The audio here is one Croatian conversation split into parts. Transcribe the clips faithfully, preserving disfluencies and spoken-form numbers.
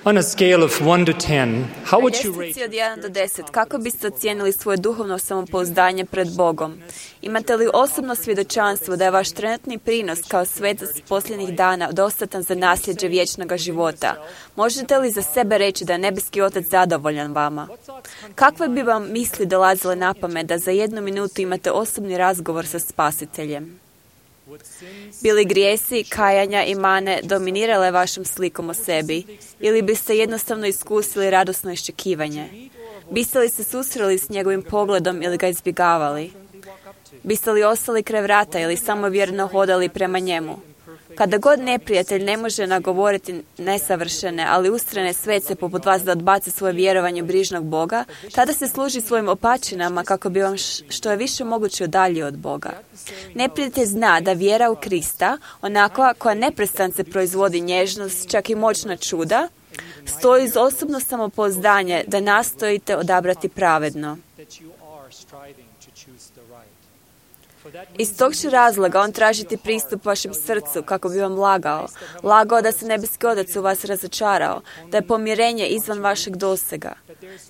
On a scale of one to ten, how would you Na rate ljestvici od jedan do deset, kako biste ocijenili svoje duhovno samopouzdanje pred Bogom? Imate li osobno svjedočanstvo da je vaš trenutni prinos kao svetac posljednjih dana dostatan za nasljeđe vječnog života? Možete li za sebe reći da je nebeski Otac zadovoljan vama? Kakve bi vam misli dolazile na pamet da za jednu minutu imate osobni razgovor sa Spasiteljem? Bili grijesi, kajanja i mane dominirale vašom slikom o sebi ili biste jednostavno iskusili radosno iščekivanje? Biste li se susreli s njegovim pogledom ili ga izbjegavali? Biste li ostali kraj vrata ili samo vjerno hodali prema njemu? Kada god neprijatelj ne može nagovoriti nesavršene, ali ustrajne svece poput vas da odbace svoje vjerovanje u brižnog Boga, tada se služi svojim opačinama kako bi vam što je više moguće udaljio od Boga. Neprijatelj zna da vjera u Krista, onakva koja neprestance proizvodi nježnost, čak i moćna čuda, stoji iz osobno samopouzdanje da nastojite odabrati pravedno. Iz tog će razloga on tražiti pristup vašem srcu kako bi vam lagao. Lagao da se nebeski Otac u vas razočarao, da je pomirenje izvan vašeg dosega,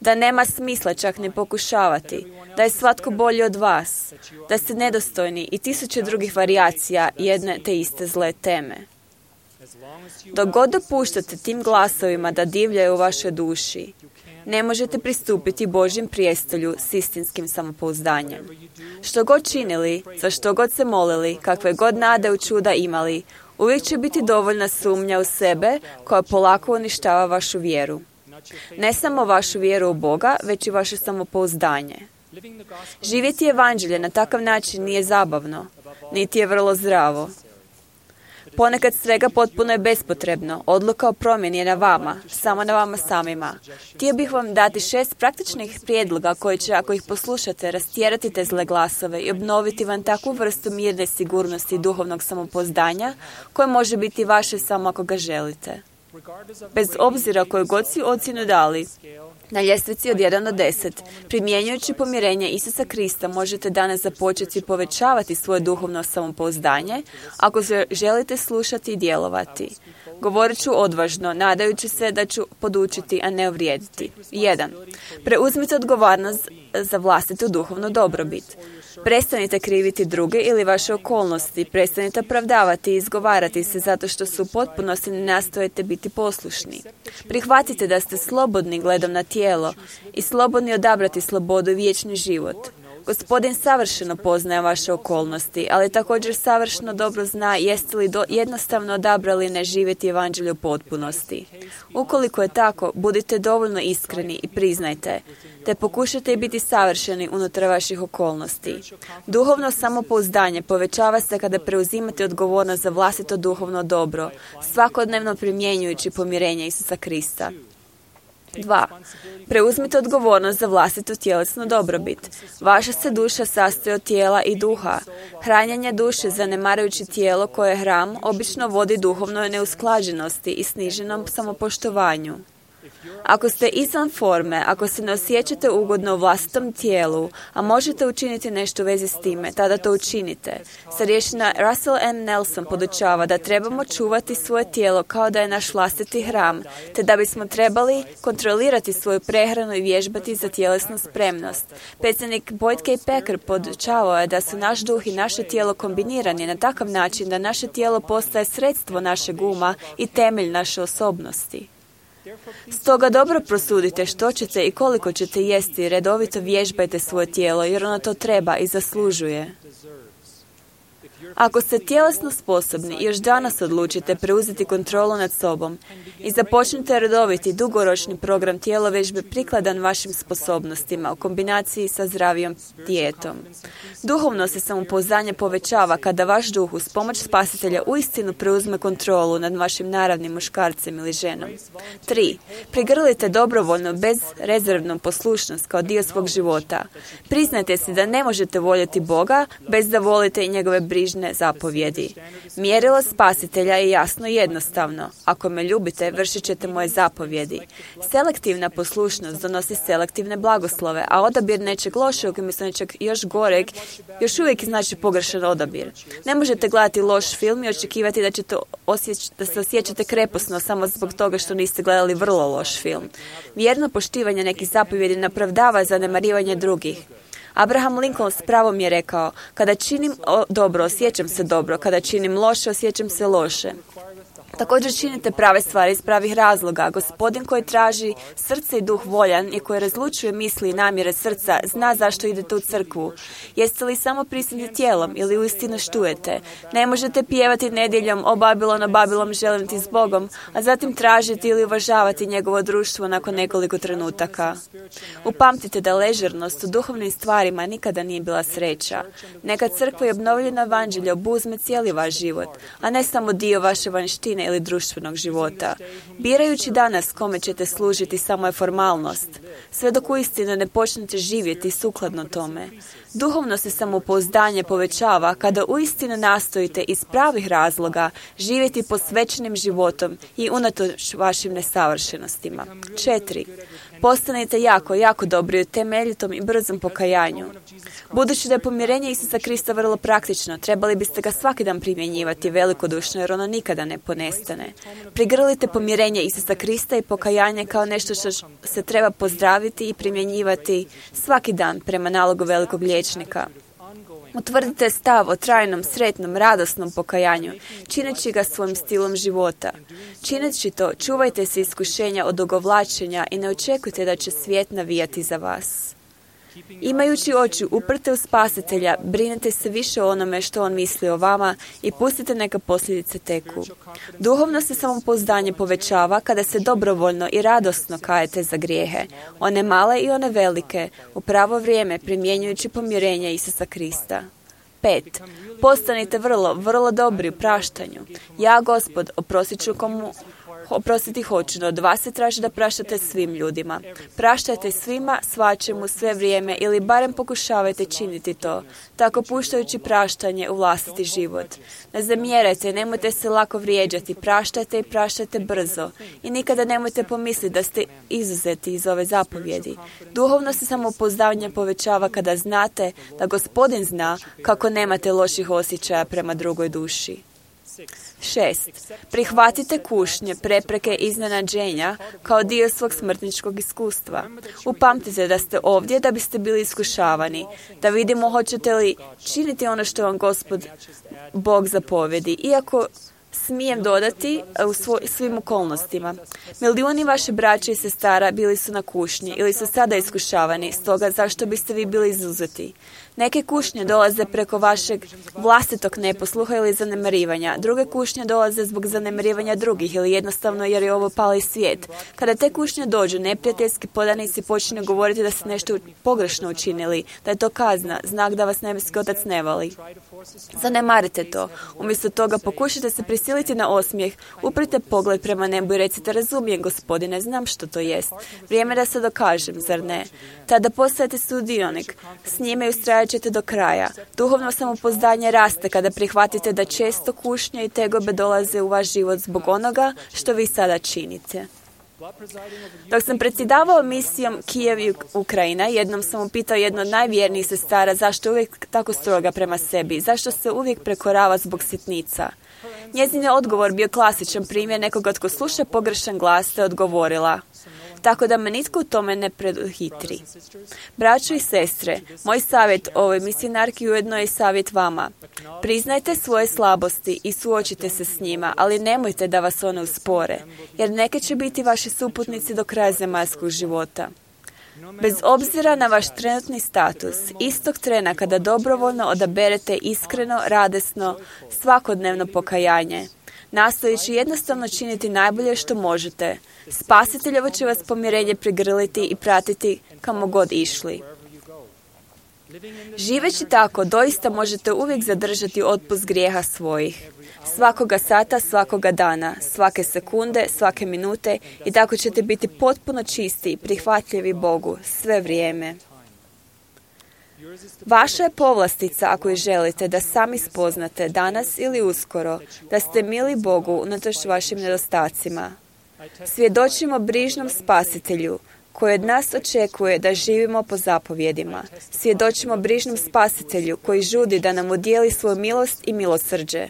da nema smisla čak ne pokušavati, da je svatko bolji od vas, da ste nedostojni i tisuće drugih varijacija jedne te iste zle teme. Dok god dopuštate tim glasovima da divljaju u vašoj duši, ne možete pristupiti Božjem prijestolju s istinskim samopouzdanjem. Što god činili, za što god se molili, kakve god nade u čuda imali, uvijek će biti dovoljna sumnja u sebe koja polako uništava vašu vjeru. Ne samo vašu vjeru u Boga, već i vaše samopouzdanje. Živjeti evanđelje na takav način nije zabavno, niti je vrlo zdravo. Ponekad svega potpuno je bespotrebno. Odluka o promjeni je na vama, samo na vama samima. Htio bih vam dati šest praktičnih prijedloga koji će, ako ih poslušate, rastjerati te zle glasove i obnoviti vam takvu vrstu mirne sigurnosti i duhovnog samopouzdanja koje može biti vaše samo ako ga želite. Bez obzira koju god si ocjenu dali, na ljestvici od jedan do deset, primjenjujući pomirenje Isusa Krista, možete danas započeti povećavati svoje duhovno samopouzdanje ako se želite slušati i djelovati. Govorit ću odvažno, nadajući se da ću podučiti, a ne uvrijediti. jedan. Preuzmite odgovornost za vlastitu duhovnu dobrobit. Prestanite kriviti druge ili vaše okolnosti, prestanite opravdavati i izgovarati se zato što su u potpunosti ne nastojite biti poslušni. Prihvatite da ste slobodni gledom na tijelo i slobodni odabrati slobodu i vječni život. Gospodin savršeno poznaje vaše okolnosti, ali također savršeno dobro zna jeste li do, jednostavno odabrali ne živjeti evanđelje u potpunosti. Ukoliko je tako, budite dovoljno iskreni i priznajte, te pokušajte biti savršeni unutar vaših okolnosti. Duhovno samopouzdanje povećava se kada preuzimate odgovornost za vlastito duhovno dobro, svakodnevno primjenjujući pomirenje Isusa Krista. dva. Preuzmite odgovornost za vlastitu tjelesnu dobrobit. Vaša se duša sastoji od tijela i duha. Hranjenje duše zanemarujući tijelo koje je hram obično vodi duhovnoj neusklađenosti i sniženom samopoštovanju. Ako ste izvan forme, ako se ne osjećate ugodno u vlastitom tijelu, a možete učiniti nešto u vezi s time, tada to učinite. Starješina Russell M. Nelson podučava da trebamo čuvati svoje tijelo kao da je naš vlastiti hram, te da bismo trebali kontrolirati svoju prehranu i vježbati za tjelesnu spremnost. Predsjednik Boyd K. Packer podučavao je da su naš duh i naše tijelo kombinirani na takav način da naše tijelo postaje sredstvo našeg uma i temelj naše osobnosti. Stoga dobro prosudite što ćete i koliko ćete jesti i redovito vježbajte svoje tijelo jer ono to treba i zaslužuje. Ako ste tjelesno sposobni i još danas odlučite preuzeti kontrolu nad sobom i započnite redoviti dugoročni program tjelovježbe prikladan vašim sposobnostima u kombinaciji sa zdravijom dijetom. Duhovno se samopouzdanje povećava kada vaš duh uz pomoć Spasitelja uistinu preuzme kontrolu nad vašim naravnim muškarcem ili ženom. tri. Prigrlite dobrovoljno bezrezervnu poslušnost kao dio svog života. Priznajte si da ne možete voljeti Boga bez da volite i njegove brižne brižne zapovjedi. Mjerilo spasitelja je jasno i jednostavno. Ako me ljubite, vršit ćete moje zapovjedi. Selektivna poslušnost donosi selektivne blagoslove, a odabir nečeg lošeg umjesto nečeg još goreg još uvijek znači pogrešan odabir. Ne možete gledati loš film i očekivati da, ćete osjeć, da se osjećate kreposno samo zbog toga što niste gledali vrlo loš film. Vjerno poštivanje nekih zapovjedi napravdava zanemarivanje drugih. Abraham Lincoln s pravom je rekao: kada činim dobro, osjećam se dobro, kada činim loše, osjećam se loše. Također činite prave stvari iz pravih razloga. Gospodin koji traži srce i duh voljan i koji razlučuje misli i namjere srca zna zašto idete u crkvu. Jeste li samo prisutni tijelom ili uistinu štujete? Ne možete pjevati nedjeljom o Babilon, o Babilon želim ti s Bogom, a zatim tražiti ili uvažavati njegovo društvo nakon nekoliko trenutaka. Upamtite da ležernost u duhovnim stvarima nikada nije bila sreća. Neka crkva i obnovljeno evanđelje obuzme cijeli vaš život, a ne samo dio vaše vanjštine ili društvenog života. Birajući danas kome ćete služiti samo je formalnost, sve dok uistinu ne počnete živjeti sukladno tome. Duhovno se samopouzdanje povećava kada uistinu nastojite iz pravih razloga živjeti posvećenim životom i unatoč vašim nesavršenostima. Četiri. Postanite jako, jako dobri u temeljitom i brzom pokajanju. Budući da je pomirenje Isusa Krista vrlo praktično, trebali biste ga svaki dan primjenjivati velikodušno jer ono nikada ne ponestane. Prigrlite pomirenje Isusa Krista i pokajanje kao nešto što se treba pozdraviti i primjenjivati svaki dan prema nalogu velikog liječnika. Utvrdite stav o trajnom, sretnom, radosnom pokajanju, čineći ga svojim stilom života. Čineći to, čuvajte se iskušenja od ogovlačenja i ne očekujte da će svijet navijati za vas. Imajući oči uprte u Spasitelja, brinete se više o onome što on misli o vama i pustite neka posljedice teku. Duhovno se samopouzdanje povećava kada se dobrovoljno i radosno kajete za grijehe, one male i one velike, u pravo vrijeme primjenjujući pomirenje Isusa Krista. Pet. Postanite vrlo, vrlo dobri u praštanju. Ja, Gospod, oprostit ću komu oprostiti hoću, no od vas se traži da praštate svim ljudima. Praštajte svima, svačemu, sve vrijeme ili barem pokušavajte činiti to, tako puštajući praštanje u vlastiti život. Ne zamjerajte, nemojte se lako vrijeđati, praštajte i praštajte brzo i nikada nemojte pomisliti da ste izuzeti iz ove zapovjedi. Duhovno se samopouzdanje povećava kada znate da Gospodin zna kako nemate loših osjećaja prema drugoj duši. Šest. Prihvatite kušnje, prepreke i iznenađenja kao dio svog smrtničkog iskustva. Upamtite da ste ovdje da biste bili iskušavani, da vidimo hoćete li činiti ono što vam Gospod Bog zapovjedi, iako smijem dodati u svoj, svim okolnostima. Milijuni vaše braće i sestara bili su na kušnji ili su sada iskušavani, stoga zašto biste vi bili izuzeti? Neke kušnje dolaze preko vašeg vlastitog neposluha ili zanemarivanja. Druge kušnje dolaze zbog zanemarivanja drugih ili jednostavno jer je ovo pali svijet. Kada te kušnje dođu, neprijateljski podanici počinju govoriti da ste nešto pogrešno učinili, da je to kazna, znak da vas nebeski otac ne voli. Zanemarite to. Umjesto toga pokušajte se prisiliti na osmijeh, uprite pogled prema nebu i recite: razumijem, Gospodine, znam što to jest. Vrijeme da se dokažem, zar ne? Tada postajete sudionik, s njime ustrajat ćete do kraja. Duhovno samopouzdanje raste kada prihvatite da često kušnje i tegobe dolaze u vaš život zbog onoga što vi sada činite. Dok sam predsjedavao misijom Kijev i Ukrajina, jednom sam upitao jednu od najvjernijih sestara zašto je uvijek tako stroga prema sebi, zašto se uvijek prekorava zbog sitnica. Njezin je odgovor bio klasičan primjer nekoga tko sluša pogrešan glas, te odgovorila: tako da me nitko u tome ne preduhitri. Braćo i sestre, moj savjet ovoj misionarki ujedno je savjet vama. Priznajte svoje slabosti i suočite se s njima, ali nemojte da vas one uspore, jer neke će biti vaši suputnici do kraja zemaljskog života. Bez obzira na vaš trenutni status, istog trena kada dobrovoljno odaberete iskreno, radesno, svakodnevno pokajanje, nastojeći jednostavno činiti najbolje što možete, Spasiteljevo će vas pomirenje prigrliti i pratiti kamo god išli. Živeći tako, doista možete uvijek zadržati otpust grijeha svojih. Svakoga sata, svakoga dana, svake sekunde, svake minute i tako ćete biti potpuno čisti i prihvatljivi Bogu sve vrijeme. Vaša je povlastica ako je želite da sami spoznate danas ili uskoro da ste mili Bogu unatoč vašim nedostacima. Svjedočimo brižnom Spasitelju koji od nas očekuje da živimo po zapovjedima. Svjedočimo brižnom Spasitelju koji žudi da nam udijeli svoju milost i milosrđe.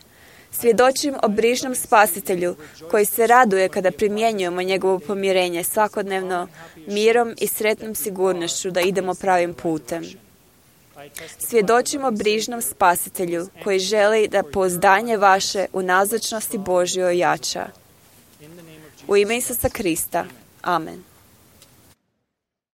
Svjedočim o brižnom Spasitelju koji se raduje kada primjenjujemo njegovo pomirenje svakodnevno mirom i sretnom sigurnošću da idemo pravim putem. Svjedočimo brižnom Spasitelju koji želi da pouzdanje vaše u nazočnosti Božjoj ojača. U ime Isusa Krista. Amen.